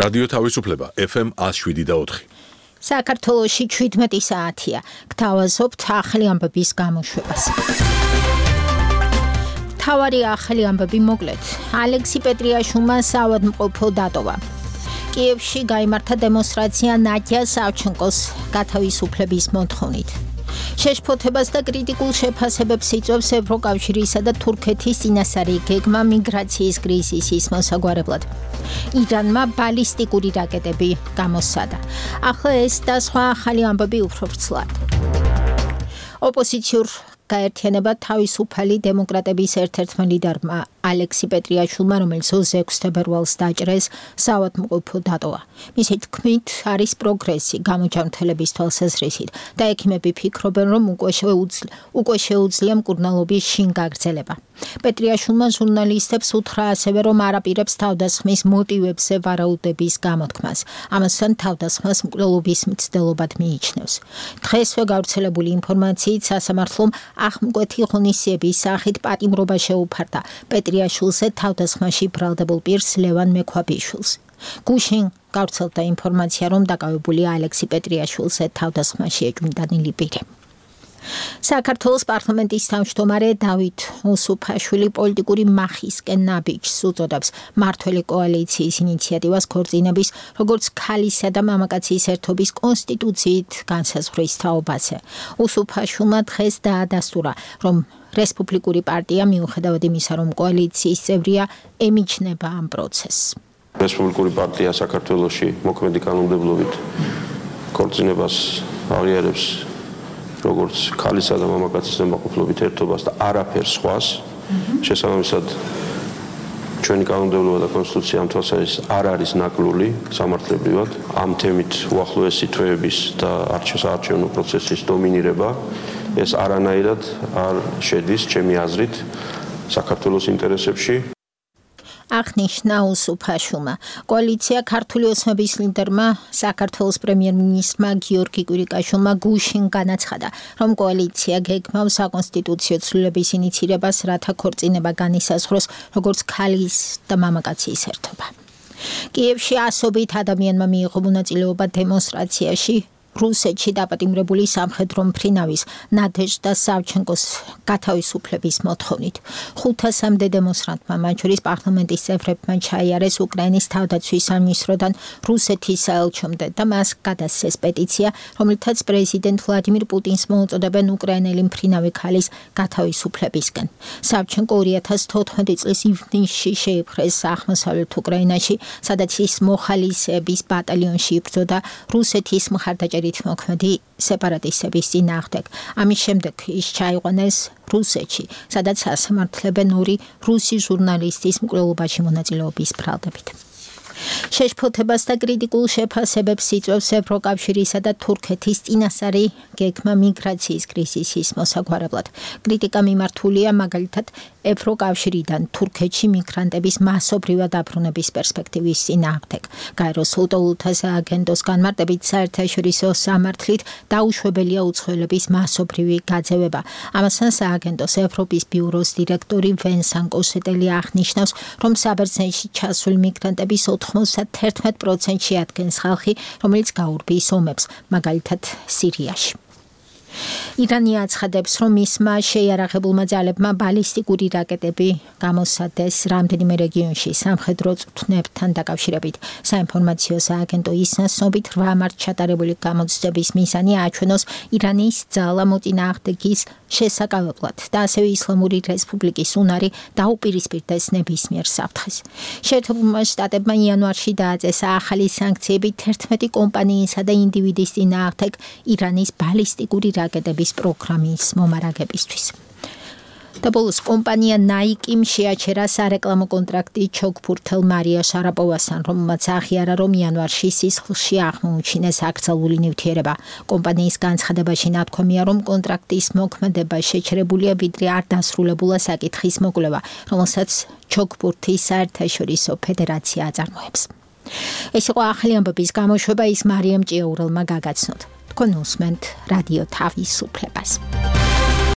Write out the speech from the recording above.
რადიო თავისუფლება FM 107.4. საქართველოში 17 საათია. გთავაზობთ ახალი ამბების გამოშვებას. თავარი ახალი ამბები მოკლედ. ალექსი პეტრიაშვილმა საავადმყოფო დატოვა. კიევში გაიმართა დემონსტრაცია ნადია სავჩენკოს გათავისუფლების მოთხოვნით. შეშფოთებას და კრიტიკულ შეფასებებს იწვევს ევროკავშირისა და თურქეთის წინასწარი გეგმა მიგრაციის კრიზისის მოსაგვარებლად. ირანმა ბალისტიკური რაკეტები გამოსცადა. ახლა ეს და სხვა ახალი ამბები უფრო ვრცლად. ოპოზიციურ გაერთიანება თავისუფალი დემოკრატების ერთ-ერთმა ლიდერმა ალექსი პეტრიაშვილმა, რომელიც 26 თებერვალს დაჭრეს, საავადმყოფო დატოვა. მისი თქმით, არის პროგრესი გამოჯანმრთელების თვალსაზრისით და ექიმები ფიქრობენ, რომ უკვე შეუძლია მკურნალობის შინ გაგრძელება. პეტრიაშვილმა ჟურნალისტებს უთხრა ასევე, რომ არაპირებს თავდასხმის მოტივებზე ვარაუდების გამოთქმას. ამასთან თავდასხმას მკვლელობის მცდელობად მიიჩნევს. დღესვე გავრცელებული ინფორმაციით სასამართლომ ახმკვეთი ღონისძიების სახით პატიმრობა შეუფარდა პეტრიაშვილზე თავდასხმაში ბრალდებულ პირს ლევან მექვაბიშვილს. გუშინ გავრცელდა ინფორმაცია, რომ დაკავებულია ალექსი პეტრიაშვილზე თავდასხმაში ეჭვმიტანილი პირი. საქართველოს პარლამენტის თავმჯდომარე დავით უსუფაშვილი პოლიტიკური მახისკენ ნაბიჯს უწოდებს მართველი კოალიციის ინიციატივას ქორწინების, როგორც ქალისა და მამაკაცის ერთობის კონსტიტუციით განსაზღვრის თაობაზე. უსუფაშვილმა დღეს დაადასტურა, რომ რესპუბლიკური პარტია მიუხედავად იმისა, რომ კოალიციის წევრია, ემიჯნება ამ პროცესს. რესპუბლიკური პარტია საქართველოში მოქმედი კანონმდებლობით ქორწინებას აღიარებს როგორც ქალისა და მამაკაცის ზემოყოფლობით ერთობას და არაფერს სხვას. შესაბამისად, ჩვენი კანონმდებლობა და კონსტიტუცია ამ თვალსაზრისით არ არის ნაკლული სამართლებრივად. ამ თემით უახლოესი თვეების და საარჩევნო პროცესის დომინირება ეს არანაირად არ შედის ჩემი აზრით საქართველოს ინტერესებში. აღნიშნა უსუფაშვილმა. კოალიცია ქართული ოცნების ლიდერმა საქართველოს პრემიერ-მინისტრმა გიორგი კვირიკაშვილმა გუშინ განაცხადა, რომ კოალიცია გეგმავს საკონსტიტუციო ცვლილების ინიცირებას, რათა ქორწინება განისაზღვროს როგორც ქალის და მამაკაცის ერთობა. კიევში ასობით ადამიანმა მიიღო მონაწილეობა დემონსტრაციაში რუსეთში დაპატიმრებული სამხედრო მფრინავის ნადეჟდა სავჩენკოს გათავისუფლების მოთხოვნით. 500-მდე დემონსტრანტმა, მათ შორის პარლამენტის წევრებმა ჩაიარეს უკრაინის თავდაცვის სამინისტროდან რუსეთის საელჩომდე და მას გადასცეს პეტიცია, რომლითაც პრეზიდენტ ვლადიმირ პუტინს მოუწოდებენ უკრაინელი მფრინავი ქალის გათავისუფლებისკენ. სავჩენკო 2014 წლის ივნისში შეიპყრეს აღმოსავლეთ უკრაინაში, სადაც ის მოხალისეების ბატალიონში იბრძოდა რუსეთის მხარდაჭერით მოქმედი სეპარატისტების წინააღმდეგ. ამის შემდეგ ის ჩაიყვანეს რუსეთში, სადაც ასამართლებენ ორი რუსი ჟურნალისტის მკვლელობაში მონაწილეობის ბრალდებით. შეშფოთებას და კრიტიკულ შეფასებებს იწვევს ევროკავშირისა და თურქეთის წინასწარი გეგმა მიგრაციის კრიზისის მოსაგვარებლად. კრიტიკა მიმართულია მაგალითად ევროკავშირიდან თურქეთში მიგრანტების მასობრივად დაბრუნების პერსპექტივის წინააღმდეგ. გაეროს უტოლთა სააგენტოს განმარტებით საერთაშორისო სამართლით დაუშვებელია უცხოელების მასობრივი გაძევება. ამასთან სააგენტოს ევროპის ბიუროს დირექტორი ვენსან კოსეტელი აღნიშნავს, რომ საბერძნეთში ჩასული მიგრანტების 91%-ში ადგენს ხალხი, რომელიც გაურბის ომებს, მაგალითად სირიაში. ირანი აცხადებს, რომ მისმა შეიარაღებულმა ძალებმა ბალისტიკური რაკეტები გამოსცადეს რამდენიმე რეგიონში სამხედრო წვრთნებთან დაკავშირებით. საინფორმაციო სააგენტო ისნას ცნობით 8 მარტს ჩატარებული გამოცდების მიზანი აჩვენოს ირანის ძალა მოწინააღმდეგის შესაკავებლად და ასევე ისლამური რესპუბლიკის უნარი დაუპირისპირდეს ნებისმიერ საფრთხეს. შეერთებულმა შტატებმა იანვარში დააწესა ახალი სანქციები 11 კომპანიისა და ინდივიდის წინააღმდეგ ირანის ბალისტიკური რაკეტების პროგრამის მომარაგებისთვის. და ბოლოს კომპანია Nike-მ შეაჩერა სარეკლამო კონტრაქტი ჩოგბურთელ მარია შარაპოვასთან, რომელმაც აღიარა, რომ იანვარში სისხლში აღმოუჩინეს აკრძალული ნივთიერება. კომპანიის განცხადებაში ნათქვამია, რომ კონტრაქტის მოქმედება შეჩერებულია, ვიდრე არ დასრულებულა საკითხის მოკვლევა, რომელსაც ჩოგბურთის საერთაშორისო ფედერაცია აწარმოებს. ეს იყო ახალი ამბების გამოშვება, ის მარიამ ჭიაურელმა გაგაცნოთ. თქვენ უსმენთ რადიო თავისუფლებას.